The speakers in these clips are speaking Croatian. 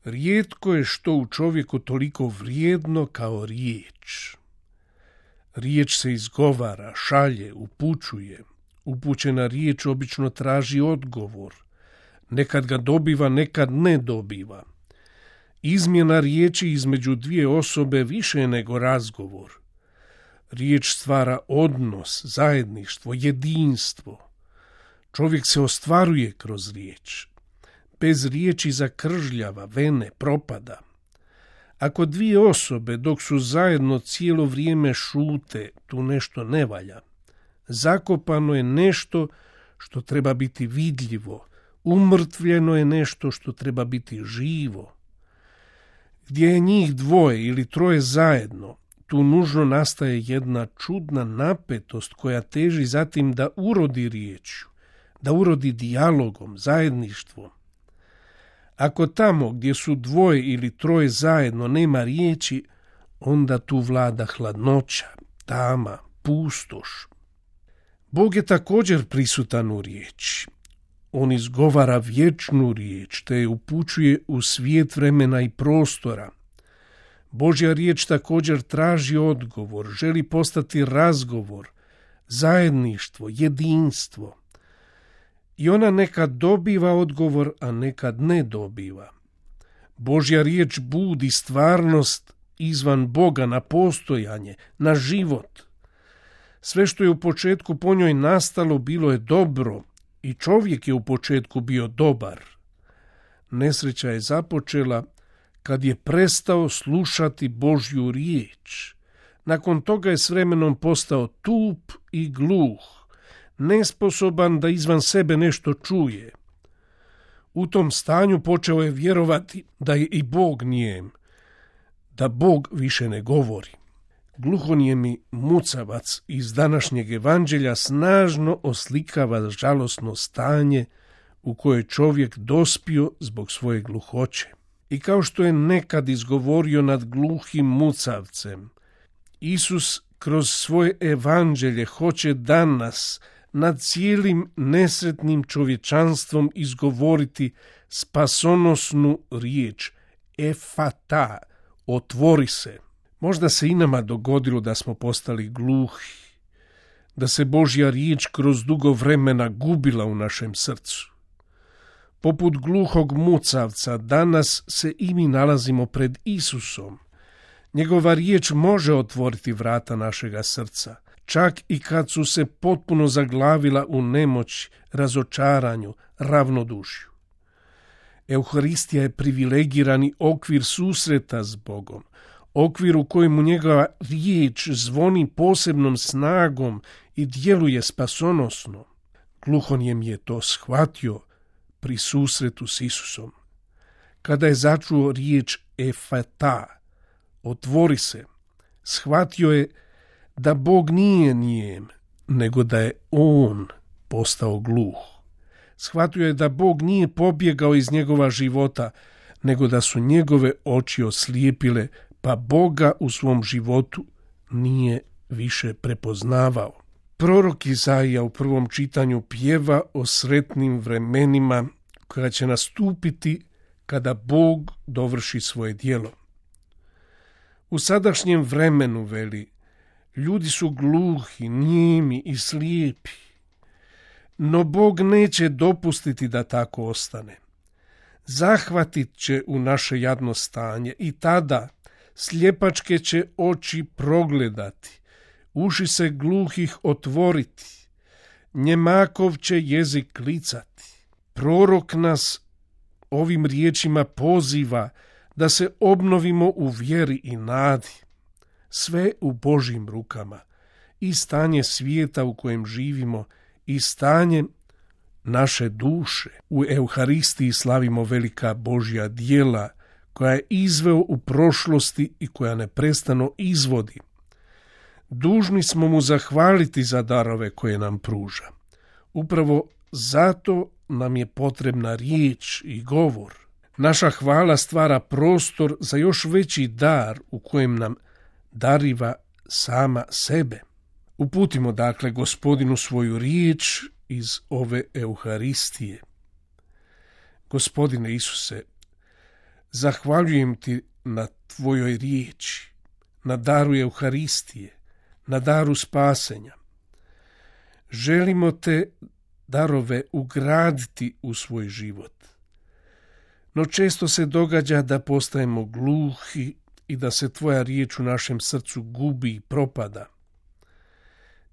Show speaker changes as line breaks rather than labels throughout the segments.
Rijetko je što u čovjeku toliko vrijedno kao riječ. Riječ se izgovara, šalje, upućuje. Upućena riječ obično traži odgovor. Nekad ga dobiva, nekad ne dobiva. Izmjena riječi između dvije osobe više je nego razgovor. Riječ stvara odnos, zajedništvo, jedinstvo. Čovjek se ostvaruje kroz riječ. Bez riječi zakržljava, vene, propada. Ako dvije osobe dok su zajedno cijelo vrijeme šute, tu nešto ne valja. Zakopano je nešto što treba biti vidljivo, umrtvljeno je nešto što treba biti živo. Gdje je njih dvoje ili troje zajedno, tu nužno nastaje jedna čudna napetost koja teži zatim da urodi riječju, da urodi dijalogom, zajedništvom. Ako tamo gdje su dvoje ili troje zajedno nema riječi, onda tu vlada hladnoća, tama, pustoš. Bog je također prisutan u riječi. On izgovara vječnu riječ, te je upućuje u svijet vremena i prostora. Božja riječ također traži odgovor, želi postati razgovor, zajedništvo, jedinstvo. I ona nekad dobiva odgovor, a nekad ne dobiva. Božja riječ budi stvarnost izvan Boga na postojanje, na život. Sve što je u početku po njoj nastalo bilo je dobro i čovjek je u početku bio dobar. Nesreća je započela kad je prestao slušati Božju riječ. Nakon toga je s vremenom postao tup i gluh, nesposoban da izvan sebe nešto čuje. U tom stanju počeo je vjerovati da je i Bog nijem, da Bog više ne govori. Gluhonijemi mucavac iz današnjeg evanđelja snažno oslikava žalosno stanje u koje čovjek dospio zbog svoje gluhoće. I kao što je nekad izgovorio nad gluhim mucavcem, Isus kroz svoje evanđelje hoće danas nad cijelim nesretnim čovječanstvom izgovoriti spasonosnu riječ efata, otvori se. Možda se i nama dogodilo da smo postali gluhi, da se Božja riječ kroz dugo vremena gubila u našem srcu. Poput gluhog mucavca danas se i mi nalazimo pred Isusom. Njegova riječ može otvoriti vrata našega srca, čak i kad su se potpuno zaglavila u nemoći, razočaranju, ravnodušju. Euharistija je privilegirani okvir susreta s Bogom, okvir u kojemu njegova riječ zvoni posebnom snagom i djeluje spasonosno. Gluhonijem je to shvatio pri susretu s Isusom. Kada je začuo riječ efata, otvori se, shvatio je da Bog nije nijem, nego da je on postao gluh. Shvatio je da Bog nije pobjegao iz njegova života, nego da su njegove oči oslijepile, pa Boga u svom životu nije više prepoznavao. Prorok Izaija u prvom čitanju pjeva o sretnim vremenima koja će nastupiti kada Bog dovrši svoje djelo. U sadašnjem vremenu, veli, ljudi su gluhi, nijemi i slijepi, no Bog neće dopustiti da tako ostane. Zahvatit će u naše jadno stanje i tada sljepačke će oči progledati, uši se gluhih otvoriti, njemakov će jezik klicati. Prorok nas ovim riječima poziva da se obnovimo u vjeri i nadi. Sve u Božjim rukama, i stanje svijeta u kojem živimo, i stanje naše duše. U Euharistiji slavimo velika Božja djela koja je izveo u prošlosti i koja neprestano izvodi. Dužni smo mu zahvaliti za darove koje nam pruža. Upravo zato nam je potrebna riječ i govor. Naša hvala stvara prostor za još veći dar u kojem nam dariva sama sebe. Uputimo dakle Gospodinu svoju riječ iz ove Euharistije. Gospodine Isuse, Zahvaljujem ti na tvojoj riječi, na daru Euharistije, na daru spasenja. Želimo te darove ugraditi u svoj život. No često se događa da postajemo gluhi i da se tvoja riječ u našem srcu gubi i propada.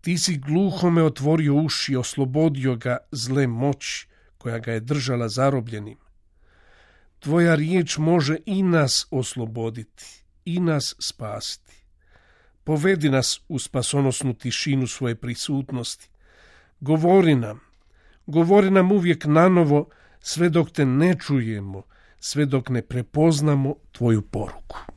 Ti si gluhome otvorio uši i oslobodio ga zle moći koja ga je držala zarobljenim. Tvoja riječ može i nas osloboditi, i nas spasiti. Povedi nas u spasonosnu tišinu svoje prisutnosti. Govori nam uvijek nanovo, sve dok te ne čujemo, sve dok ne prepoznamo tvoju poruku.